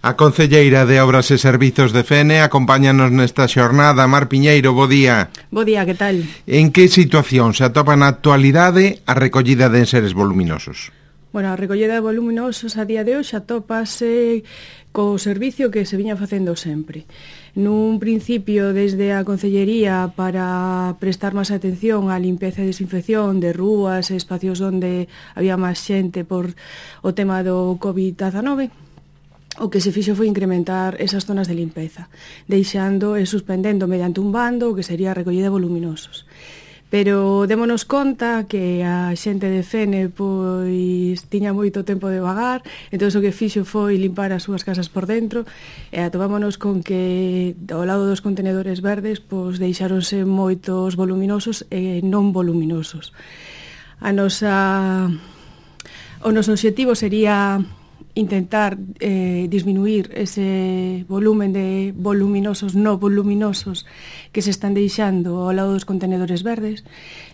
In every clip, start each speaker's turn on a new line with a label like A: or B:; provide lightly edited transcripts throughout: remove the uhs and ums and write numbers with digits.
A: A concelleira de Obras e Servizos de Fene acompáñanos nesta xornada. Mar Piñeiro, bo día.
B: Bo día, que tal?
A: En que situación se atopa na actualidade a recollida de enseres voluminosos?
B: Bueno, a recollida de voluminosos a día de hoxe atópase co servicio que se viña facendo sempre. Nun principio, desde a Concellería, para prestar máis atención á limpeza e desinfección de rúas e espacios onde había máis xente por o tema do COVID-19, o que se fixo foi incrementar esas zonas de limpeza, deixando e suspendendo mediante un bando o que sería a recollida de voluminosos. Pero démonos conta que a xente de Fene pois tiña moito tempo de vagar, entón o que fixo foi limpar as súas casas por dentro e atopámonos con que ao lado dos contenedores verdes pois deixáronse moitos voluminosos e non voluminosos. O noso obxectivo sería intentar disminuir ese volumen de voluminosos no voluminosos que se están deixando ao lado dos contenedores verdes.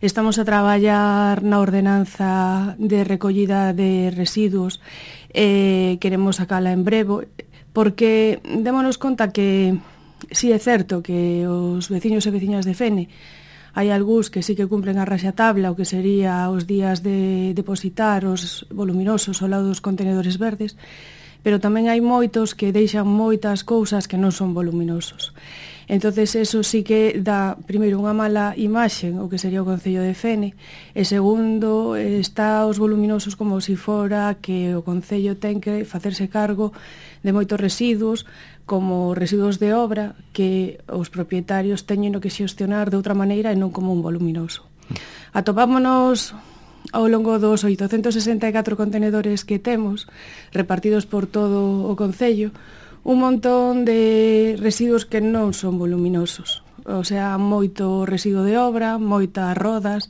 B: Estamos a traballar na ordenanza de recollida de residuos e queremos sacala en breve, porque démonos conta que si é certo que os veciños e veciñas de Fene hai algúns que sí que cumplen a raxatabla, o que sería os días de depositar os voluminosos ao lado dos contenedores verdes, pero tamén hai moitos que deixan moitas cousas que non son voluminosos. Entonces, eso sí que dá, primeiro, unha mala imaxe, o que sería o Concello de Fene, e segundo, está os voluminosos como se fora que o Concello ten que facerse cargo de moitos residuos, como residuos de obra, que os propietarios teñen que xestionar de outra maneira e non como un voluminoso. Atopámonos ao longo dos 864 contenedores que temos, repartidos por todo o Concello, un montón de residuos que non son voluminosos. O sea, moito residuo de obra, moitas rodas,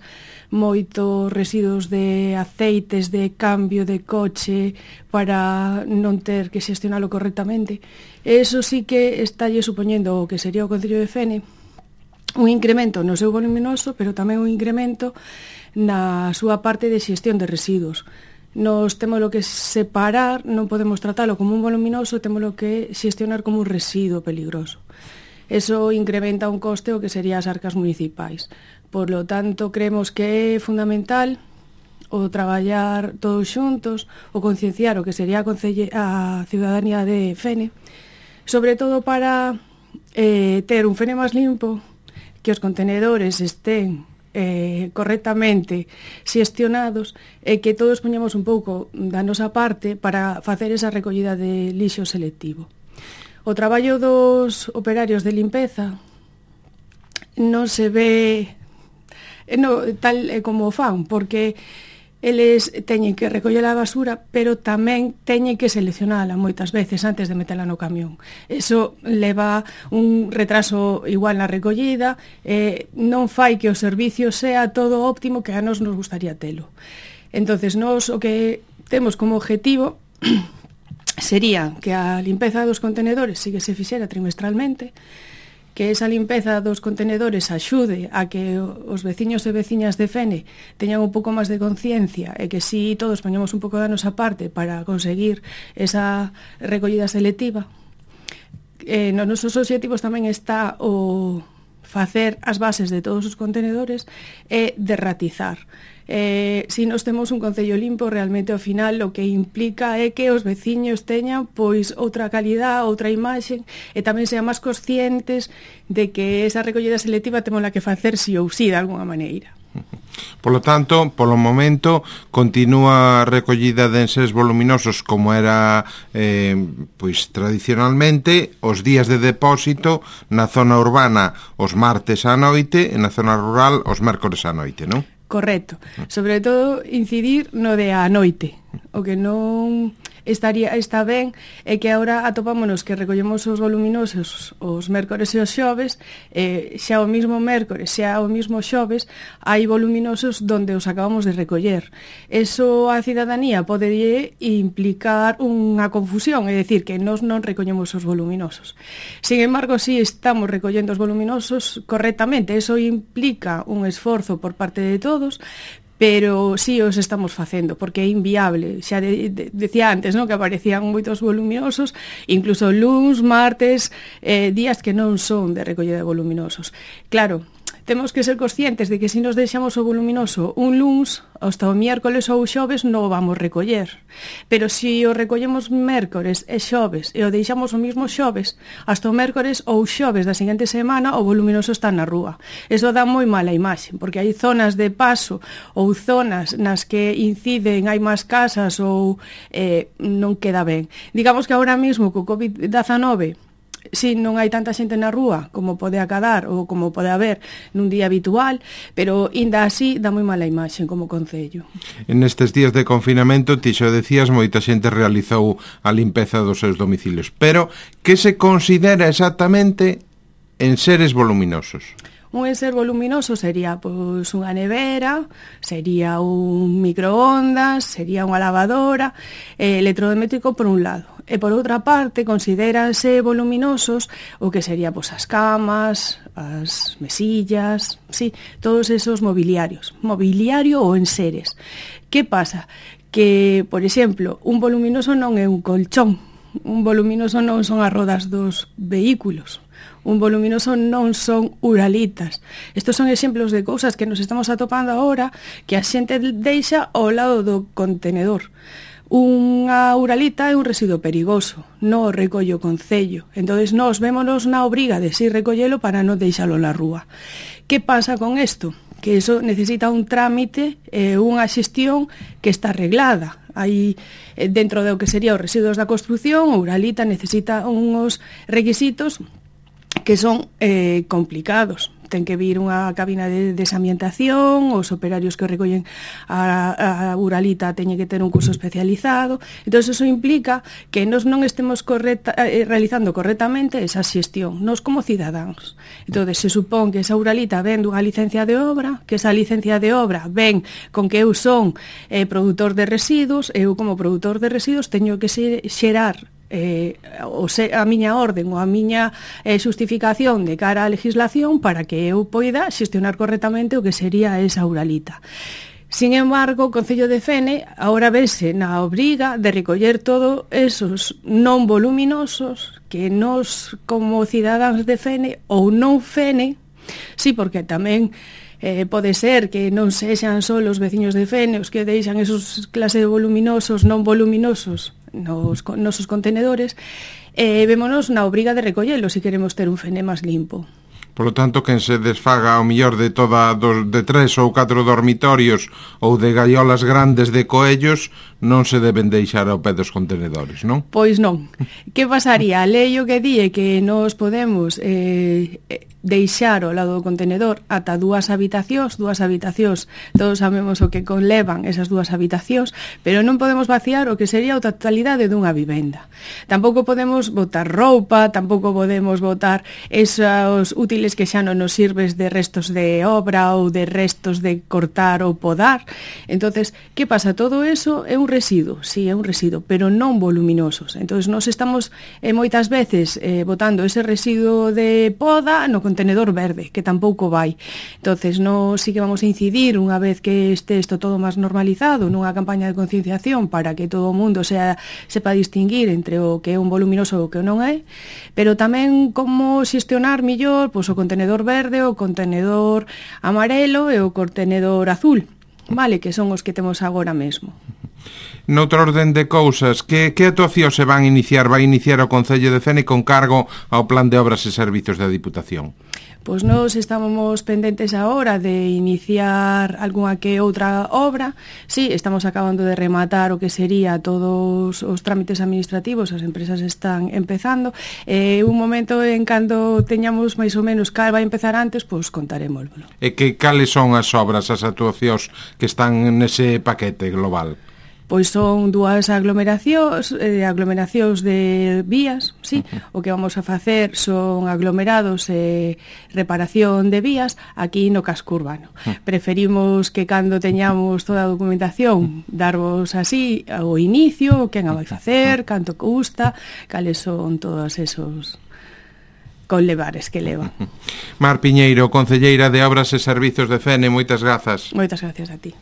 B: moitos residuos de aceites de cambio de coche para non ter que xestionalo correctamente. Eso sí que estalle supoñendo o que sería o Concello de Fene un incremento no seu voluminoso, pero tamén un incremento na súa parte de xestión de residuos. Nos témolo que separar, non podemos tratalo como un voluminoso, témolo que xestionar como un residuo peligroso. Eso incrementa un coste o que sería as arcas municipais. Por lo tanto, creemos que é fundamental o traballar todos xuntos, o concienciar o que sería a ciudadanía de Fene, sobre todo para ter un Fene máis limpo, que os contenedores estén correctamente xestionados e que todos poñamos un pouco da nosa parte para facer esa recollida de lixo selectivo. O traballo dos operarios de limpeza non se ve tal como o fan, porque eles teñen que recoller a basura, pero tamén teñen que seleccionala moitas veces antes de metela no camión. Eso leva un retraso igual na recollida, non fai que o servicio sea todo óptimo que a nos gustaría telo. Entonces, nós o que temos como objetivo sería que a limpeza dos contenedores sí que se fixera trimestralmente, que esa limpeza dos contenedores axude a que os veciños e veciñas de Fene teñan un pouco máis de conciencia e que si todos poñamos un pouco da nosa parte para conseguir esa recollida selectiva. Nos nosos obxectivos tamén está o facer as bases de todos os contenedores e derratizar. Si nos temos un concello limpo, realmente ao final o que implica é que os veciños teñan pois outra calidad, outra imaxe e tamén sean máis conscientes de que esa recollida selectiva temos que facer si ou si de alguna maneira.
A: Polo tanto, polo momento, continúa a recollida de enseres voluminosos como era pois tradicionalmente, os días de depósito na zona urbana os martes á noite e na zona rural os mércores á noite, non?
B: Correcto. Sobre todo, incidir no de a noite. O que non está ben é que agora atopámonos que recollemos os voluminosos os mércores e os xoves, xa o mismo mércores, xa o mismo xoves, hai voluminosos donde os acabamos de recoller. Eso a cidadanía pode implicar unha confusión, é dicir, que nós non recollemos os voluminosos. Sin embargo, si estamos recollendo os voluminosos correctamente, eso implica un esforzo por parte de todos, pero sí os estamos facendo, porque é inviable. Xa decía antes, non, que aparecían moitos voluminosos, incluso luns, martes, días que non son de recollida de voluminosos. Claro, temos que ser conscientes de que se nos deixamos o voluminoso un luns, hasta o miércoles ou xoves non o vamos recoller. Pero se o recollemos mércores e xoves e o deixamos o mismo xoves, hasta o mércores ou xoves da seguinte semana o voluminoso está na rúa. Eso dá moi mala imaxe, porque hai zonas de paso ou zonas nas que inciden, hai máis casas ou non queda ben. Digamos que agora mesmo co COVID-19 si non hai tanta xente na rúa como pode acadar ou como pode haber nun día habitual, pero inda así dá moi mala imaxe como concello.
A: En estes días de confinamento, ti xo decías, moita xente realizou a limpeza dos seus domicilios, pero que se considera exactamente en seres voluminosos?
B: Un enser voluminoso sería pois unha nevera, sería un microondas, sería unha lavadora, electrodoméstico por un lado. E por outra parte, considérase voluminosos o que sería pois as camas, as mesillas, sí, todos esos mobiliarios. Mobiliario ou enseres. Que pasa? Que, por exemplo, un voluminoso non é un colchón. Un voluminoso non son as rodas dos vehículos. Un voluminoso non son uralitas. Estos son exemplos de cousas que nos estamos atopando agora que a xente deixa ao lado do contenedor. Unha uralita é un residuo perigoso, non o recollo o concello. Entonces nós vémonos na obriga de si recollelo para non deixalo na rúa. Que pasa con isto? Que eso necesita un trámite e unha xestión que está arreglada. Aí, dentro do que sería os residuos da construción, a uralita necesita uns requisitos que son complicados. Ten que vir unha cabina de desambientación, os operarios que recollen a uralita teñen que ter un curso especializado. Entón, eso implica que nós non estemos realizando correctamente esa xestión, nós como cidadáns. Entón, se supón que esa uralita ven dunha licencia de obra, que esa licencia de obra ven con que eu son produtor de residuos, eu como produtor de residuos teño que xerar a miña orden ou a miña xustificación de cara á legislación para que eu poida xestionar correctamente o que sería esa uralita. Sin embargo, o Concello de Fene agora vese na obriga de recoller todos esos non voluminosos que nós como cidadáns de Fene ou non Fene, sí, porque tamén pode ser que non sexan só os veciños de Fene os que deixan esos clases de voluminosos non voluminosos nos nosos contenedores, vémonos na obriga de recollelo se queremos ter un Fene máis limpo.
A: Por lo tanto, quen se desfaga ao millor de de 3 ou 4 dormitorios ou de gaiolas grandes de coellos non se deben deixar ao pé dos contenedores, non?
B: Pois non. Que pasaría? A lei o que di que nos podemos deixar ao lado do contenedor ata dúas habitacións, todos sabemos o que conlevan esas dúas habitacións, pero non podemos vaciar o que sería a totalidade dunha vivenda. Tampouco podemos botar roupa, tampouco podemos botar esos útiles que xa non nos sirves de restos de obra ou de restos de cortar ou podar. Entonces, que pasa? Todo eso é un residuo, sí, é un residuo, pero non voluminosos. Entonces, nós estamos moitas veces botando ese residuo de poda no contenedor verde, que tampouco vai. Entonces, nós sí que vamos a incidir unha vez que este isto todo máis normalizado nunha campaña de concienciación para que todo o mundo sepa distinguir entre o que é un voluminoso e o que non é, pero tamén como xestionar millor pois, o contenedor verde, o contenedor amarelo e o contenedor azul, vale, que son os que temos agora mesmo.
A: Noutra orden de cousas, que actuacións se van iniciar? Vai iniciar o Concello de Fene con cargo ao Plan de Obras e Servizos da Diputación?
B: Pois nós estamos pendentes agora de iniciar algunha que outra obra. Sí, estamos acabando de rematar o que sería todos os trámites administrativos, as empresas están empezando. Un momento en cando teñamos máis ou menos cal vai empezar antes, pois contarémoslo.
A: E que cales son as obras, as actuacións que están nese paquete global?
B: Pois son dúas aglomeracións de vías, sí. O que vamos a facer son aglomerados e reparación de vías aquí no casco urbano. Preferimos que cando teñamos toda a documentación darvos así o inicio, quen a vai facer, canto custa, cales son todos esos conlevares que leva.
A: Mar Piñeiro, concelleira de Obras e Servizos de Fene, moitas grazas.
B: Moitas gracias a ti.